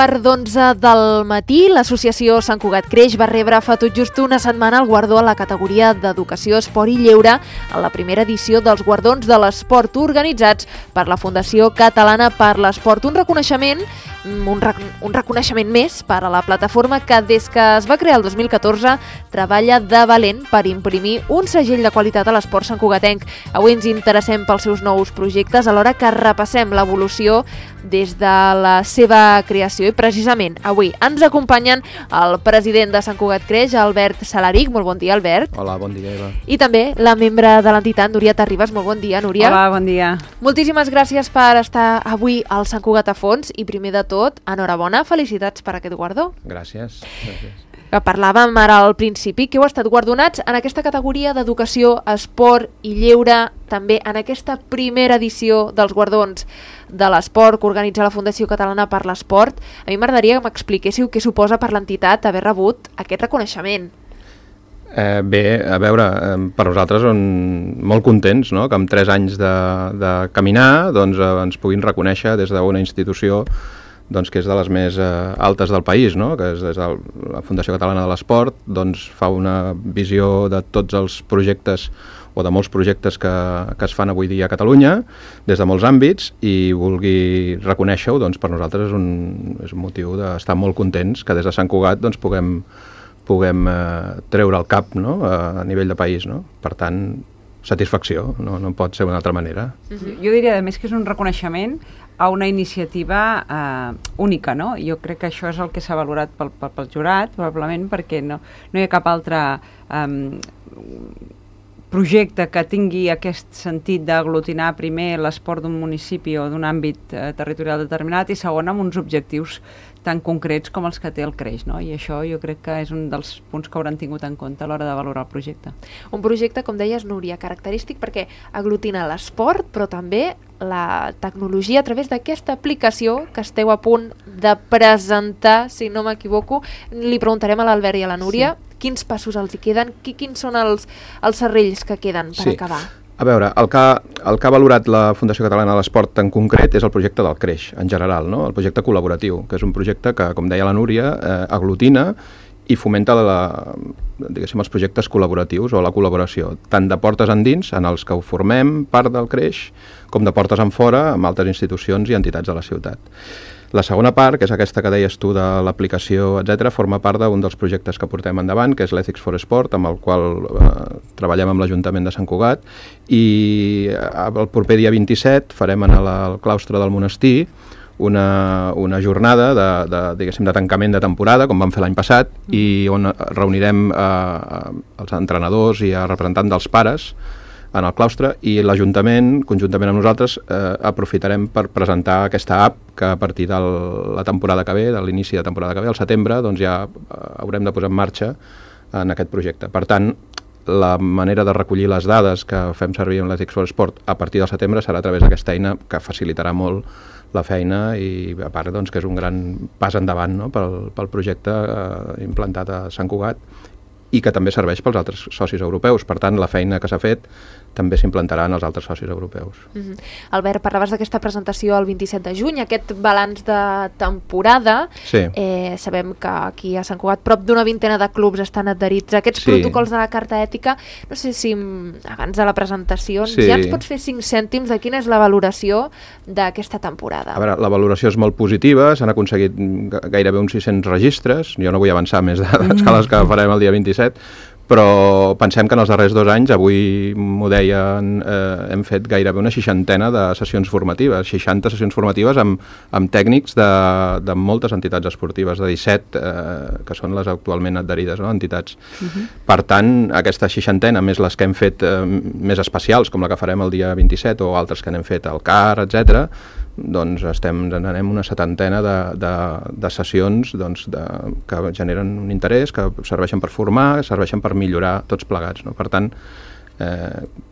1:15 del matí, l'associació Sant Cugat Creix va rebre fa tot just una setmana el guardó a la categoria d'Educació, Esport i Lleure en la primera edició dels Guardons de l'Esport organitzats per la Fundació Catalana per l'Esport. Un reconeixement més per a la plataforma que des que es va crear el 2014 treballa de valent per imprimir un segell de qualitat a l'esport santcugatenc. Avui ens interessem pels seus nous projectes alhora que repassem l'evolució des de la seva creació i precisament avui ens acompanyen el president de Sant Cugat Creix, Albert Salaric. Molt bon dia, Albert. Hola, bon dia, Eva. I també la membre de l'entitat, Núria Terribas. Molt bon dia, Núria. Hola, bon dia. Moltíssimes gràcies per estar avui al Sant Cugat a fons i primer de tot, enhorabona, felicitats per aquest guardó. Gràcies. Que parlàvem ara al principi, que heu estat guardonats en aquesta categoria d'Educació, Esport i Lleure, també en aquesta primera edició dels Guardons de l'Esport que organitza la Fundació Catalana per l'Esport. A mi m'agradaria que m'expliquéssiu què suposa per l'entitat haver rebut aquest reconeixement. Bé, a veure, per nosaltres molt contents, no?, que amb 3 anys de caminar doncs, ens puguin reconèixer des d'una institució doncs, que és de les més altes del país, no?, que és des de la Fundació Catalana de l'Esport, doncs, fa una visió de tots els projectes o de molts projectes que es fan avui dia a Catalunya, des de molts àmbits, i vulgui reconèixer-ho, doncs, per nosaltres és un motiu d'estar molt contents que des de Sant Cugat doncs, puguem treure el cap, no?, a nivell de país, no? Per tant, satisfacció, no pot ser d'una altra manera. Jo diria, a més, que és un reconeixement a una iniciativa única, no? Jo crec que això és el que s'ha valorat pel jurat, probablement perquè no hi ha cap altre projecte que tingui aquest sentit d'aglutinar primer l'esport d'un municipi o d'un àmbit territorial determinat i segon amb uns objectius tan concrets com els que té el Creix, no? I això jo crec que és un dels punts que hauran tingut en compte a l'hora de valorar el projecte. Un projecte, com deies, Núria, característic perquè aglutina l'esport, però també la tecnologia a través d'aquesta aplicació que esteu a punt de presentar, si no m'equivoco. Li preguntarem a l'Albert i a la Núria quins passos els hi queden, quins són els serrells que queden per acabar. A veure, el que ha valorat la Fundació Catalana de l'Esport en concret és el projecte del Creix, en general, no? El projecte col·laboratiu, que és un projecte que, com deia la Núria, aglutina i fomenta els projectes col·laboratius o la col·laboració, tant de portes endins, en els que ho formem part del Creix, com de portes enfora, amb altres institucions i entitats de la ciutat. La segona part, que és aquesta que deies tu de l'aplicació, etc., forma part d'un dels projectes que portem endavant, que és l'Ethics for Sport, amb el qual treballem amb l'Ajuntament de Sant Cugat, i el proper dia 27 farem en el claustre del monestir una jornada de tancament de temporada, com vam fer l'any passat, i on reunirem els entrenadors i a representants dels pares en el claustre, i l'Ajuntament, conjuntament amb nosaltres, aprofitarem per presentar aquesta app que a partir de la temporada que ve, de l'inici de temporada que ve, al setembre, doncs ja haurem de posar en marxa en aquest projecte. Per tant, la manera de recollir les dades que fem servir en l'Ethics for Sport a partir del setembre serà a través d'aquesta eina que facilitarà molt la feina i, a part, doncs, que és un gran pas endavant, no?, pel projecte implantat a Sant Cugat i que també serveix pels altres socis europeus. Per tant, la feina que s'ha fet també s'implantarà en els altres socis europeus. Albert, parlaves d'aquesta presentació el 27 de juny, aquest balanç de temporada. Sí. Sabem que aquí a Sant Cugat prop d'una vintena de clubs estan adherits a aquests protocols de la Carta Ètica. No sé si abans de la presentació ja ens pots fer 5 cèntims de quina és la valoració d'aquesta temporada. A veure, la valoració és molt positiva, s'han aconseguit gairebé uns 600 registres, jo no vull avançar més dades que les que farem el dia 27, però pensem que en els darrers 2 anys, avui m'ho deien, hem fet gairebé una 60ena de sessions formatives, 60 sessions formatives amb tècnics de moltes entitats esportives, de 17 que són les actualment adherides, no?, entitats. Per tant, aquesta 60ena, més les que hem fet més especials, com la que farem el dia 27 o altres que n'hem fet al CAR, etc., doncs anem una 70ena de sessions que generen un interès, que serveixen per formar, serveixen per millorar tots plegats, no? Per tant,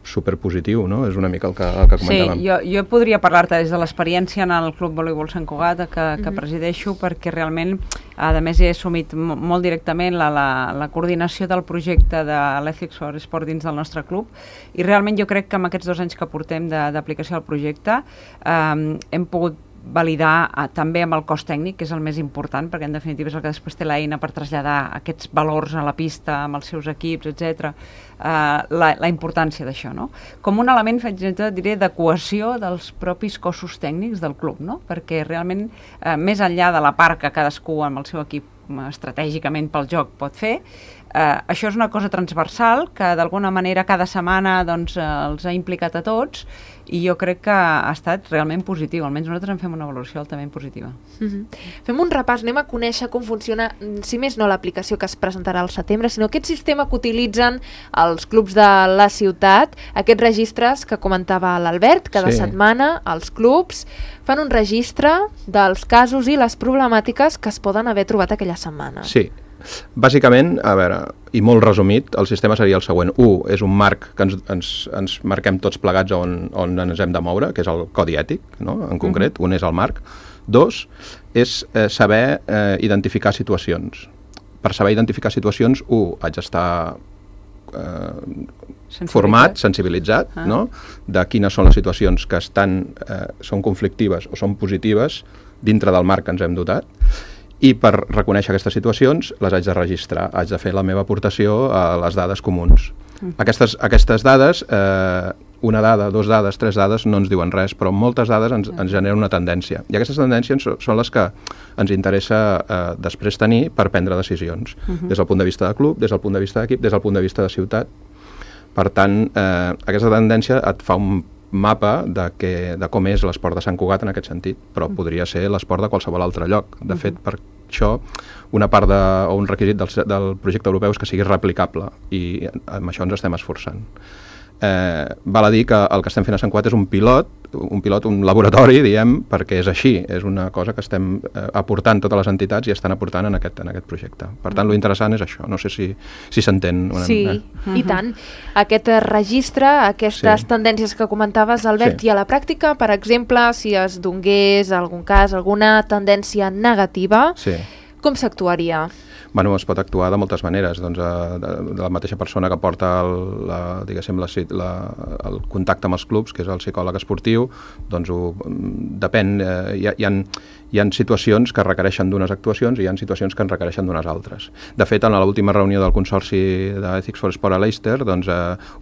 superpositiu, no? És una mica el que comentàvem. Sí, jo podria parlar-te des de l'experiència en el Club Voleibol Sant Cugat que presideixo, perquè realment, a més, he assumit molt directament la coordinació del projecte de l'Ethics for Sport dins del nostre club, i realment jo crec que amb aquests 2 anys que portem d'aplicació del projecte hem pogut validar també amb el cos tècnic, que és el més important, perquè en definitiva és el que després té l'eina per traslladar aquests valors a la pista amb els seus equips, etc. La importància d'això, no? Com un element, diré, de cohesió dels propis cossos tècnics del club, no? Perquè realment, més enllà de la part que cadascú amb el seu equip estratègicament pel joc pot fer, això és una cosa transversal que d'alguna manera cada setmana doncs, els ha implicat a tots i jo crec que ha estat realment positiu, almenys nosaltres en fem una valoració altament positiva. Fem un repàs, anem a conèixer com funciona, si més no l'aplicació que es presentarà al setembre, sinó aquest sistema que utilitzen els clubs de la ciutat, aquests registres que comentava l'Albert, cada setmana els clubs fan un registre dels casos i les problemàtiques que es poden haver trobat aquella setmana. Sí. Bàsicament, a veure, i molt resumit, el sistema seria el següent. 1 és un marc que ens marquem tots plegats on ens hem de moure, que és el codi ètic, no? En concret. Un és el marc. 2 és saber identificar situacions. Per saber identificar situacions, 1, haig d'estar format, sensibilitzat, no? De quines són les situacions que són conflictives o són positives dintre del marc que ens hem dotat. I per reconèixer aquestes situacions les haig de registrar, haig de fer la meva aportació a les dades comuns. Aquestes dades, una dada, 2 dades, 3 dades, no ens diuen res, però moltes dades ens generen una tendència. I aquestes tendències són les que ens interessa després tenir per prendre decisions, des del punt de vista de club, des del punt de vista d'equip, des del punt de vista de ciutat. Per tant, aquesta tendència et fa un mapa de com és l'esport de Sant Cugat en aquest sentit, però podria ser l'esport de qualsevol altre lloc. De fet, per això, una part o un requisit del projecte europeu és que sigui replicable i amb això ens estem esforçant. Val a dir que el que estem fent a Sant Cugat és un pilot, un laboratori, diem, perquè és així, és una cosa que estem aportant totes les entitats i estan aportant en aquest projecte. Per tant, lo interessant és això, no sé si s'entén. Sí, i tant. Aquest registre, aquestes tendències que comentaves, Albert, i a la pràctica, per exemple, si es donés algun cas, alguna tendència negativa, com s'actuaria? Bueno, es pot actuar de moltes maneres, doncs, de la mateixa persona que porta el contacte amb els clubs, que és el psicòleg esportiu, doncs depèn, hi ha situacions que requereixen d'unes actuacions i hi ha situacions que en requereixen d'unes altres. De fet, en l'última reunió del Consorci d'Ethics for Sport a Leicester, doncs,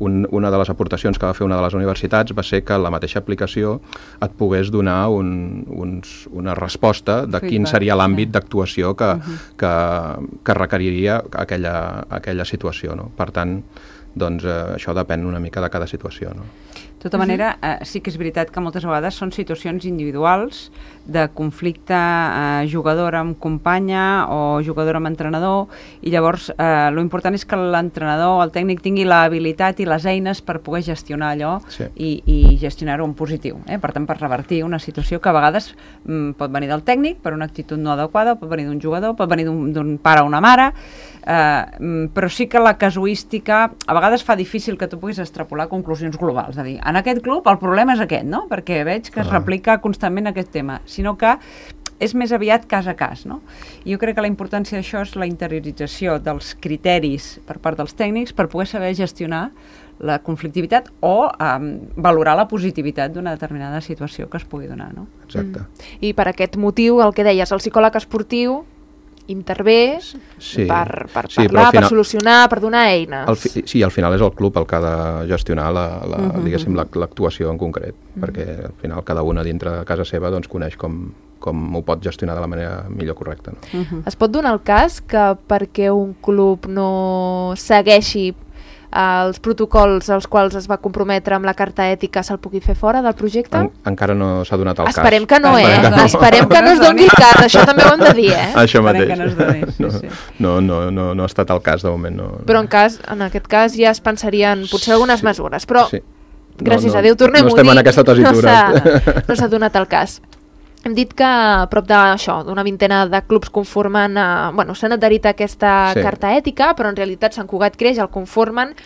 una de les aportacions que va fer una de les universitats va ser que la mateixa aplicació et pogués donar una resposta de quin seria l'àmbit d'actuació que requeriria aquella situació, no? Per tant, doncs, això depèn una mica de cada situació, no? De tota manera, sí que és veritat que moltes vegades són situacions individuals de conflicte jugador amb companya o jugador amb entrenador, i llavors lo important és que l'entrenador o el tècnic tingui l'habilitat i les eines per poder gestionar allò i gestionar-ho en positiu. Per tant, per revertir una situació que a vegades pot venir del tècnic per una actitud no adequada, pot venir d'un jugador, pot venir d'un pare o una mare, però sí que la casuística a vegades fa difícil que tu puguis extrapolar conclusions globals, és a dir, en aquest club el problema és aquest, no? Perquè veig que es replica constantment aquest tema, sinó que és més aviat cas a cas, no? I jo crec que la importància d'això és la interiorització dels criteris per part dels tècnics per poder saber gestionar la conflictivitat o valorar la positivitat d'una determinada situació que es pugui donar, no? Exacte. I per aquest motiu, el que deies, el psicòleg esportiu intervé per parlar, per solucionar, per donar eines. Sí, al final és el club el que ha de gestionar l'actuació en concret, perquè al final cada una dintre de casa seva doncs, coneix com ho pot gestionar de la manera millor correcta. No? Es pot donar el cas que perquè un club no segueixi els protocols als quals es va comprometre amb la carta ètica se'l pugui fer fora del projecte? Encara no s'ha donat el cas. Esperem que no, Esperem que no es doni el cas, això també ho hem de dir, Això mateix. Que no es doni, no ha estat el cas de moment. No. Però en aquest cas ja es pensarien potser algunes mesures, però gràcies a Déu, tornem-ho a dir, no estem en aquesta tessitura. No s'ha donat el cas. Hem dit que a prop d'una vintena de clubs conformen, s'han adherit a aquesta carta ètica, però en realitat Sant Cugat Creix el conformen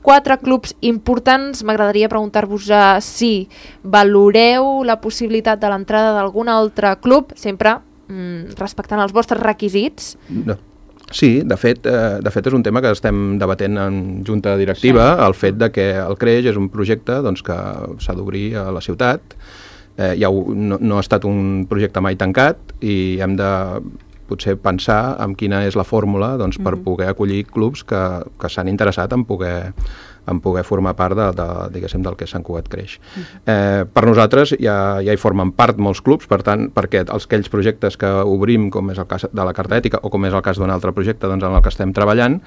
4 clubs importants. M'agradaria preguntar-vos si valoreu la possibilitat de l'entrada d'algun altre club, sempre respectant els vostres requisits. No. Sí, de fet és un tema que estem debatent en junta directiva, el fet de que el Creix és un projecte doncs, que s'ha d'obrir a la ciutat, no ha estat un projecte mai tancat i hem de potser pensar en quina és la fórmula per poder acollir clubs que s'han interessat en poder formar part diguéssim, del que Sant Cugat creix. Per nosaltres ja hi formen part molts clubs, per tant, perquè aquells projectes que obrim, com és el cas de la Carta Ètica o com és el cas d'un altre projecte en el que estem treballant,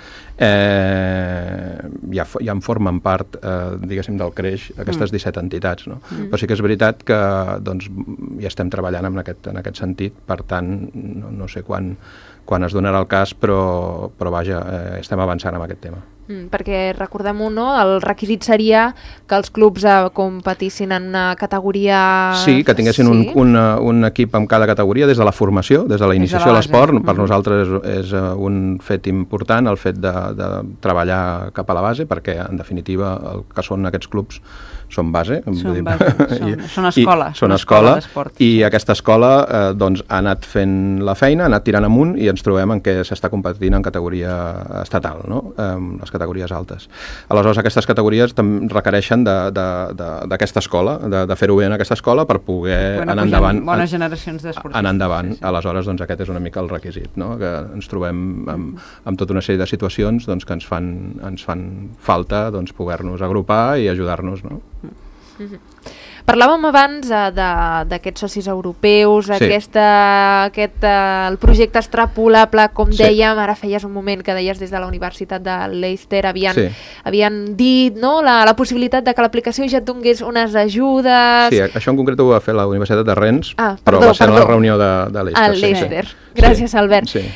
ja en formen part, diguéssim, del creix aquestes 17 entitats. No? Però sí que és veritat que ja estem treballant en aquest sentit, per tant, no sé quan es donarà el cas, però vaja, estem avançant en aquest tema. Perquè recordem-ho, no? El requisit seria que els clubs competissin en una categoria... Sí, que tinguessin un equip en cada categoria des de la formació, des de la iniciació a l'esport. Per nosaltres és un fet important el fet de treballar cap a la base, perquè en definitiva el que són aquests clubs són base. Són escola. Són escola i aquesta escola ha anat fent la feina, ha anat tirant amunt i ens trobem en què s'està competint en categoria estatal, no? Les categories altes. Aleshores, aquestes categories requereixen d'aquesta escola, de fer-ho bé en aquesta escola per poder anar endavant. Bones generacions d'esportistes. Anar endavant. Aleshores, aquest és una mica el requisit, no? Que ens trobem amb tota una sèrie de situacions que ens fan falta poder-nos agrupar i ajudar-nos, no? Parlàvem abans d'aquests socis europeus, el projecte extrapolable, com dèiem, ara feies un moment que deies des de la Universitat de Leicester, havien dit la possibilitat de que l'aplicació ja et donés unes ajudes... Sí, això en concret ho va fer la Universitat de Rennes, però va ser en la reunió de Leicester. A Leicester. Gràcies, Albert. Sí.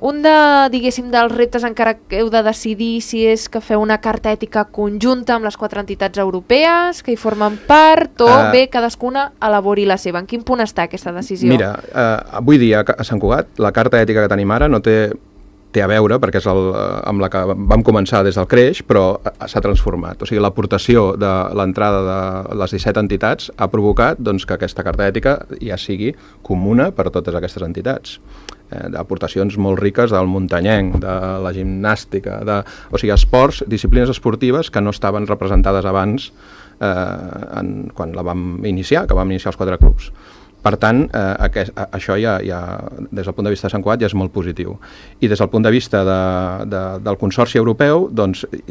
Un dels reptes encara que heu de decidir si és que feu una carta ètica conjunta amb les 4 entitats europees que hi formen part o bé cadascuna elabori la seva. En quin punt està aquesta decisió? Mira, avui dia a Sant Cugat la carta ètica que tenim ara no té a veure, perquè és amb la que vam començar des del creix, però s'ha transformat. O sigui, l'aportació de l'entrada de les 17 entitats ha provocat que aquesta carta ètica ja sigui comuna per a totes aquestes entitats. D'aportacions molt riques del muntanyenc, de la gimnàstica, o sigui, esports, disciplines esportives que no estaven representades abans quan la vam iniciar, que vam iniciar els 4 clubs. Per tant, això ja, des del punt de vista de Sant Cugat, ja és molt positiu. I des del punt de vista del Consorci Europeu,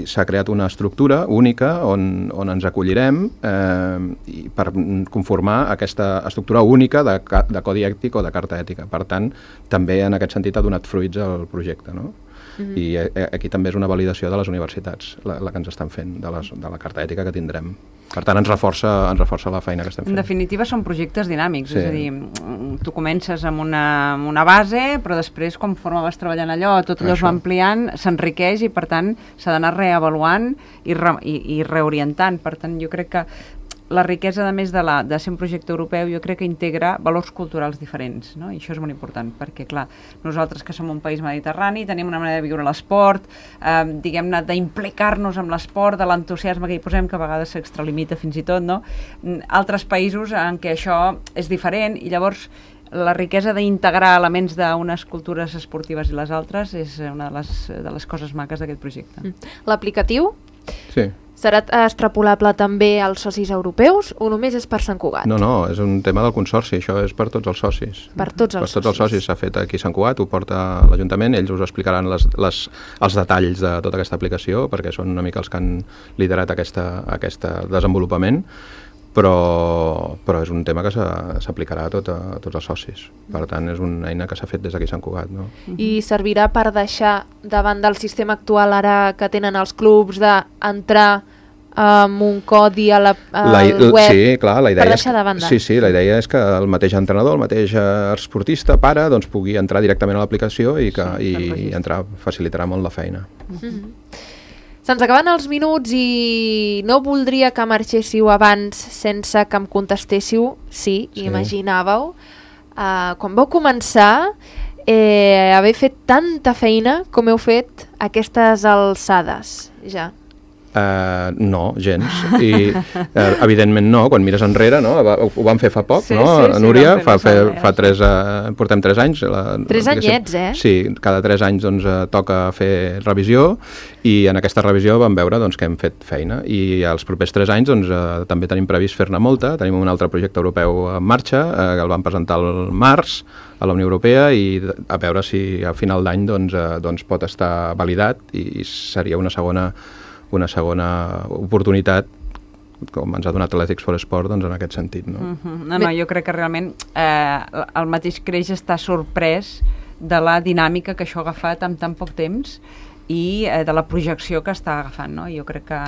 s'ha creat una estructura única on ens acollirem per conformar aquesta estructura única de codi ètic o de carta ètica. Per tant, també en aquest sentit ha donat fruits al projecte, no? I aquí també és una validació de les universitats la que ens estan fent, de la carta ètica que tindrem. Per tant, ens reforça la feina que estem fent. En definitiva, són projectes dinàmics, és a dir, tu comences amb una base, però després, conforme vas treballant allò, tot allò es va ampliant, s'enriqueix i, per tant, s'ha d'anar reavaluant i reorientant. Per tant, jo crec que la riquesa, a més de ser un projecte europeu, jo crec que integra valors culturals diferents, no? I això és molt important, perquè, clar, nosaltres que som un país mediterrani, tenim una manera de viure l'esport, diguem-ne, d'implicar-nos amb l'esport, de l'entusiasme que hi posem, que a vegades s'extralimita fins i tot, no? Altres països en què això és diferent, i llavors la riquesa d'integrar elements d'unes cultures esportives i les altres és una de les coses maques d'aquest projecte. L'aplicatiu? Sí. Serà extrapolable també als socis europeus o només és per Sant Cugat? No, és un tema del Consorci, això és per tots els socis. Per tots els socis s'ha fet aquí a Sant Cugat, ho porta l'Ajuntament, ells us explicaran els detalls de tota aquesta aplicació, perquè són una mica els que han liderat aquest desenvolupament, però és un tema que s'aplicarà a tots els socis. Per tant, és una eina que s'ha fet des d'aquí a Sant Cugat. No? I servirà per deixar davant del sistema actual ara que tenen els clubs d'entrar amb un codi al web? Sí, clar, la idea per deixar de banda. Sí, la idea és que el mateix entrenador, el mateix esportista, pare, pugui entrar directament a l'aplicació i facilitarà molt la feina. Se'ns acaben els minuts i no voldria que marxéssiu abans sense que em contestéssiu, sí. Imaginàveu, quan vau començar, haver fet tanta feina com heu fet aquestes alçades, ja. No, gens. I evidentment no, quan mires enrere, no? Ho vam fer fa poc, Sí, no? sí, sí, Núria, vam fer portem 3 anys. 3 anyets, Sí, cada 3 anys doncs, toca fer revisió i en aquesta revisió vam veure doncs, que hem fet feina i els propers 3 anys doncs, també tenim previst fer-ne molta. Tenim un altre projecte europeu en marxa, que el vam presentar al març a la Unió Europea i a veure si a final d'any doncs, pot estar validat i seria una segona oportunitat com ens ha donat l'Ethics for Sport doncs, en aquest sentit. No? No, jo crec que realment el mateix Creix està sorprès de la dinàmica que això ha agafat en tan poc temps i de la projecció que està agafant, no? Jo crec que,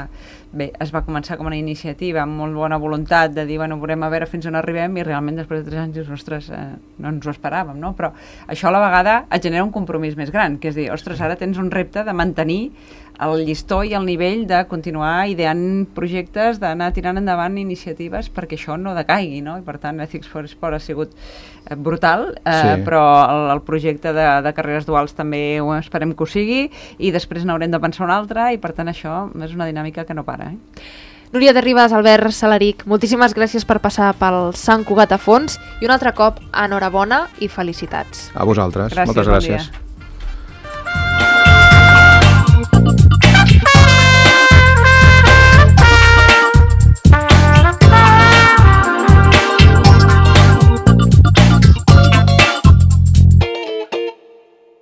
bé, es va començar com una iniciativa amb molt bona voluntat de dir, bueno, veurem a veure fins on arribem i realment després de 3 anys dius, ostres, no ens ho esperàvem, no? Però això a la vegada et genera un compromís més gran, que és dir, ostres, ara tens un repte de mantenir el llistó i el nivell de continuar ideant projectes, d'anar tirant endavant iniciatives perquè això no decaigui, no? I per tant, Ethics for Sport ha sigut brutal, sí. Però el projecte de carreres duals també ho esperem que ho sigui i després n'haurem de pensar un altre i per tant això és una dinàmica que no para. Núria de Ribas, Albert Salaric, moltíssimes gràcies per passar pel Sant Cugat a fons i un altre cop enhorabona i felicitats. A vosaltres, moltes gràcies.